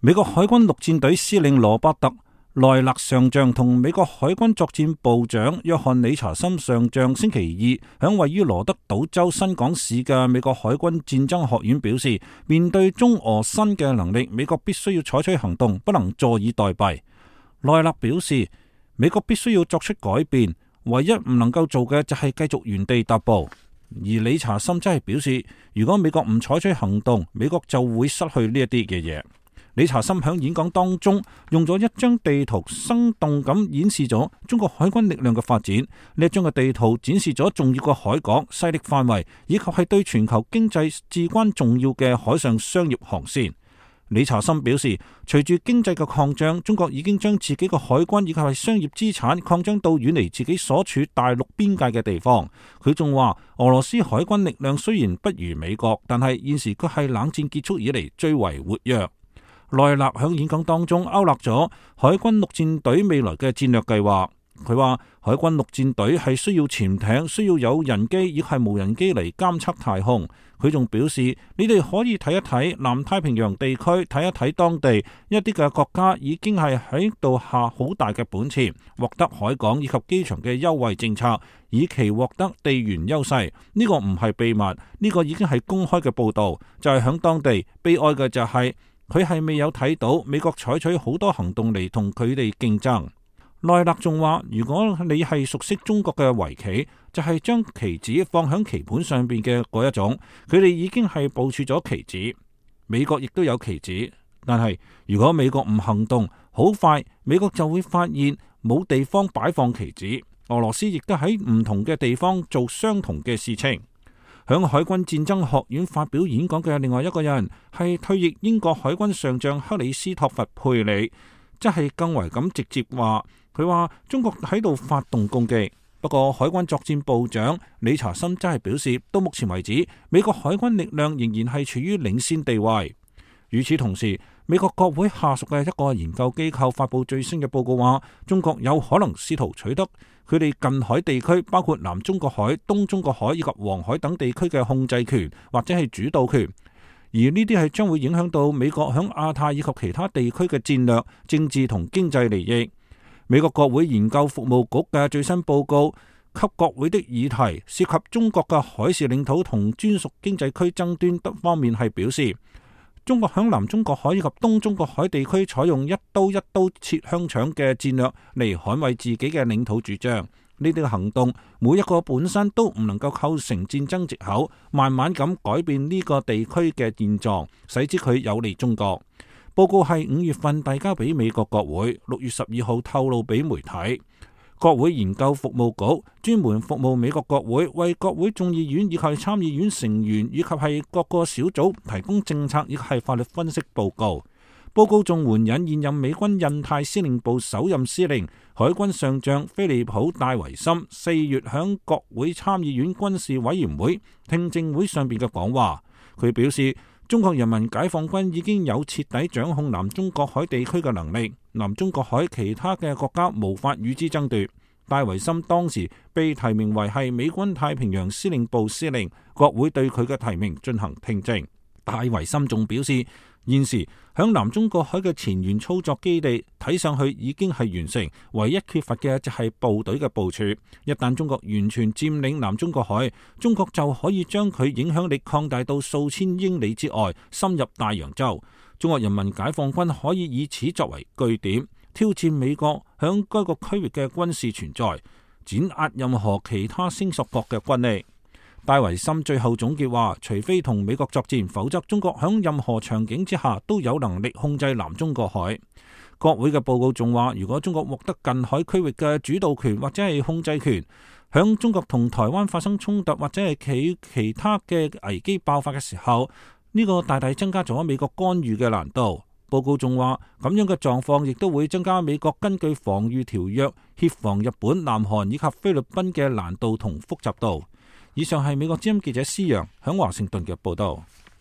美國海軍陸戰隊司令羅伯特萊勒上將同美國海軍作戰部長約翰理查森上將星期二響位於羅德島州新港市嘅美國海軍戰爭學院表示，面對中俄新嘅能力，美國必須要採取行動，不能坐以待斃。萊勒表示，美國必須要作出改變，唯一唔能夠做嘅就係繼續原地踏步。而理查森則係表示，如果美國唔採取行動，美國就會失去呢一啲嘅嘢。理查森響演講當中用咗一張地圖，生動咁演示咗中國海軍力量嘅發展。呢一張嘅地圖展示咗重要嘅海港、勢力範圍，以及係對全球經濟至關重要嘅海上商業航線。理查森表示，隨住經濟嘅擴張，中國已經將自己嘅海軍以及係商業資產擴張到遠離自己所處大陸邊界嘅地方。佢仲話，俄羅斯海軍力量雖然不如美國，但係現時佢係冷戰結束以嚟最為活躍。萊勒響演講當中勾勒咗海軍陸戰隊未來嘅戰略計劃。佢話海軍陸戰隊係需要潛艇，需要有人機，亦係無人機嚟監測太空。佢仲表示，你哋可以睇一睇南太平洋地區，睇一睇當地一啲嘅國家已經係喺度下好大嘅本錢，獲得海港以及機場嘅優惠政策，以期獲得地緣優勢。呢個唔係秘密，呢個已經係公開嘅報道。就係響當地悲哀嘅就係佢係未有睇到美國採取好多行動嚟同佢哋競爭。萊勒仲話，如果你係熟悉中國嘅圍棋，就係將棋子放響棋盤上邊嘅嗰一種，佢哋已經係部署咗棋子。美國亦都有棋子，但係如果美國唔行動，好快美國就會發現冇地方擺放棋子。俄羅斯亦都喺唔同嘅地方做相同嘅事情。響海軍戰爭學院發表演講嘅另外一個人係退役英國海軍上將克里斯托弗佩里，即係更為咁直接話，佢話中國喺度發動攻擊。不過海軍作戰部長理查森真係表示，到目前為止，美國海軍力量仍然係處於領先地位。與此同時，美國國會下屬嘅一個研究機構發布最新嘅報告話，中國有可能試圖取得佢哋近海地區，包括南中國海、東中國海以及黃海等地區嘅控制權或者係主導權。而呢啲係將會影響到美國響亞太以及其他地區嘅戰略、政治同經濟利益。美國國會研究服務局嘅最新報告給國會的議題涉及中國嘅海事領土同專屬經濟區爭端方面係表示，中國響南中國海以及東中國海地區採用一刀切香腸嘅戰略嚟捍衛自己嘅領土主張。呢啲嘅行動每一個本身都唔能夠構成戰爭藉口，慢慢咁改變呢個地區嘅現狀，使之佢有利中國。報告係5月份遞交俾美國國會，6月12號透露俾媒體。國會研究服務局專門服務美國國會，為國會眾議院以及參議院成員以及係各個小組提供政策以及係法律分析報告。報告仲援引現任美軍印太司令部首任司令海軍上將菲利普戴維森4月響國會參議院軍事委員會聽證會上邊嘅講話。佢表示，中國人民解放軍已經有徹底掌控南中國海地區嘅能力，南中國海其他嘅國家無法與之爭奪。戴維森當時被提名為係美軍太平洋司令部司令，國會對佢嘅提名進行聽證。戴維森仲表示，現時響南中國海嘅前沿操作基地睇上去已經係完成，唯一缺乏嘅就係部隊嘅部署。一旦中國完全佔領南中國海，中國就可以將佢影響力擴大到數千英里之外，深入大洋洲。中國人民解放軍可以以此作為據點，挑戰美國響該個區域嘅軍事存在，碾壓任何其他聲索國嘅軍力。戴維森最後總結話，除非同美國作戰，否則中國響任何場景之下都有能力控制南中國海。國會嘅報告仲話，如果中國獲得近海區域嘅主導權或者係控制權，響中國同台灣發生衝突或者係其他嘅危機爆發嘅時候，呢個大大增加咗美國干預嘅難度。報告仲話，咁樣嘅狀況亦都會增加美國根據防禦條約協防日本、南韓以及菲律賓嘅難度同複雜度。以上係美國之音記者施陽響華盛頓嘅報道。